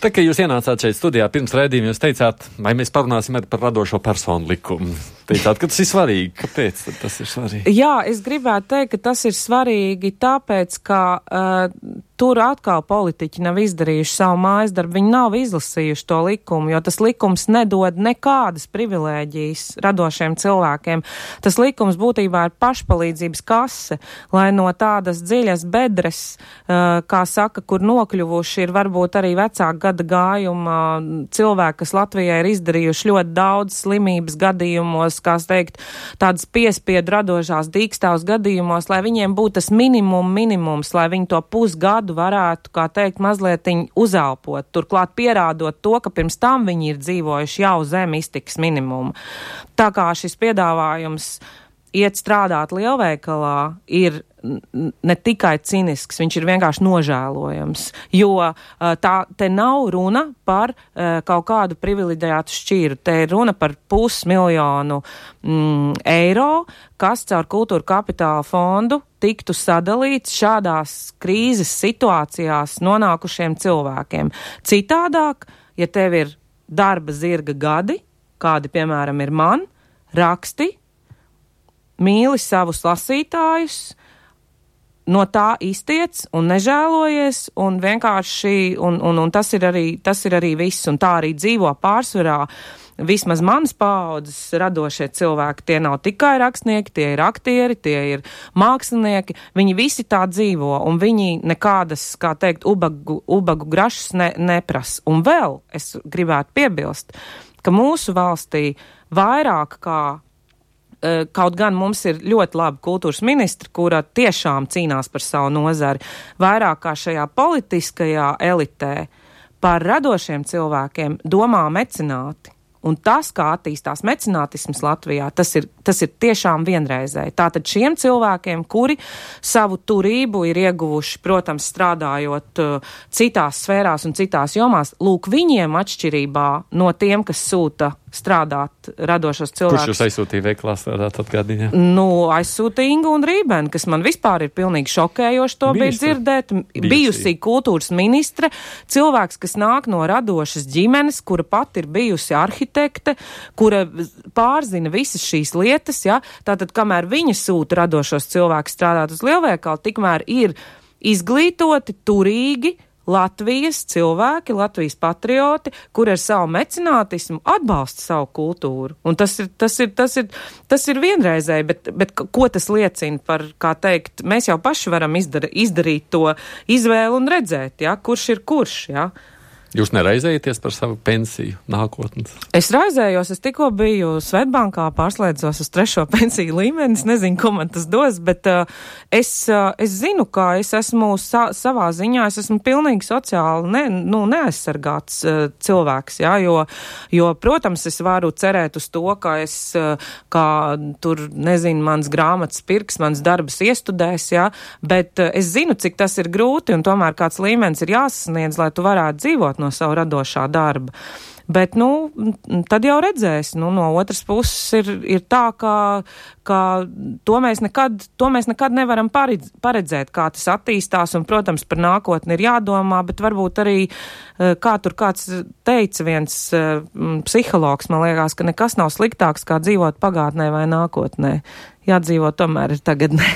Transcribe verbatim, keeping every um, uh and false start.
Tā kā jūs ienācāt šeit studijā pirms raidījuma, jūs teicāt, vai mēs parunāsim par radošo personu likumu. Teicāt, ka tas ir svarīgi. Kāpēc tas ir svarīgi? Jā, es gribētu teikt, ka tas ir svarīgi tāpēc, ka uh, tur atkal politiķi nav izdarījuši savu mājas darbu, viņi nav izlasījuši to likumu, jo tas likums nedod nekādas privilēģijas radošiem cilvēkiem. Tas likums būtībā ir pašpalīdzības kase, lai no tādas dziļas bedres, uh, kā saka, kur nokļuvuši ir varbūt arī vecāka gada gājuma cilvēki, kas Latvijā ir izdarījuši ļoti daudz slimības gadījumos, kā teikt, tādas piespiedu radošās dīkstāvs gadījumos, lai viņiem būtu tas minimum minimums, lai viņi to pusgadu varētu, kā teikt, mazlietiņ uzelpot, turklāt pierādot to, ka pirms tam viņi ir dzīvojuši jau zem iztikas minimumu. Tā kā šis piedāvājums iet strādāt lielveikalā ir ne tikai cinisks, viņš ir vienkārši nožēlojams, jo tā te nav runa par uh, kaut kādu privileģētu šķīru, te ir runa par pusmiljonu mm, eiro, kas caur kultūra kapitāla fondu tiktu sadalīts šādās krīzes situācijās nonākušiem cilvēkiem. Citādāk, ja tev ir darba zirga gadi, kādi, piemēram, ir man, raksti, mīli savus lasītājus, no tā iztiec un nežēlojies, un vienkārši, un, un, un tas ir arī, tas ir arī viss, un tā arī dzīvo pārsvarā. Vismaz manas paaudzes radošie cilvēki, tie nav tikai rakstnieki, tie ir aktieri, tie ir mākslinieki, viņi visi tā dzīvo, un viņi nekādas, kā teikt, ubagu, ubagu grašas ne, neprasa. Un vēl es gribētu piebilst, ka mūsu valstī vairāk kā kaut gan mums ir ļoti laba kultūras ministra, kura tiešām cīnās par savu nozari, vairāk kā šajā politiskajā elitē par radošiem cilvēkiem domā mecenāti. Un tas, kā attīstās mecenātisms Latvijā, tas ir, tas ir tiešām vienreizēji. Tātad šiem cilvēkiem, kuri savu turību ir ieguvuši, protams, strādājot uh, citās sfērās un citās jomās, lūk, viņiem atšķirībā no tiem, kas sūta strādāt radošos cilvēkus. Kurš jūs aizsūtīja veiklā strādāt atgādījā? Nu, aizsūtīja Ingu un Rībeni, kas man vispār ir pilnīgi šokējoši to bija dzirdēt. Bijusī. Bijusī kultūras ministre, cilvēks, kas nāk no radošas ģimenes, kura pat ir bijusi arhitekte, kura pārzina visas šīs lietas, ja? Tātad, kamēr viņa sūta radošos cilvēkus strādāt uz lielveikalu, tikmēr ir izglītoti, turīgi, Latvijas cilvēki, Latvijas patrioti, kur ar savu mecenātismu atbalsta savu kultūru. Un tas ir, tas ir, tas ir, tas ir vienreizēji, bet, bet ko tas liecina par, kā teikt, mēs jau paši varam izdara, izdarīt to izvēlu un redzēt, ja, kurš ir kurš, ja. Jūs neraizējaties par savu pensiju nākotnes? Es raizējos, es tikko biju Svetbankā, pārslēdzos uz trešo pensiju līmeni, es nezinu, ko man tas dos, bet uh, es, uh, es zinu, ka es esmu sa savā ziņā, es esmu pilnīgi sociāli ne, nu, neaizsargāts uh, cilvēks, jā, jo, jo, protams, es varu cerēt uz to, ka es, uh, kā tur, nezinu, mans grāmatas pirks, mans darbs iestudēs, jā, bet uh, es zinu, cik tas ir grūti, un tomēr kāds līmenis ir jāsasniedz, lai tu varētu dzīvot no savu radošā darba. Bet, nu, tad jau redzēs, nu, no otras puses ir, ir tā, ka, ka to mēs nekad, to mēs nekad nevaram paredz, paredzēt, kā tas attīstās, un, protams, par nākotni ir jādomā, bet varbūt arī, kā tur kāds teica viens psihologs, man liekas, ka nekas nav sliktāks, kā dzīvot pagātnē vai nākotnē. Jādzīvot tomēr ir tagadnē.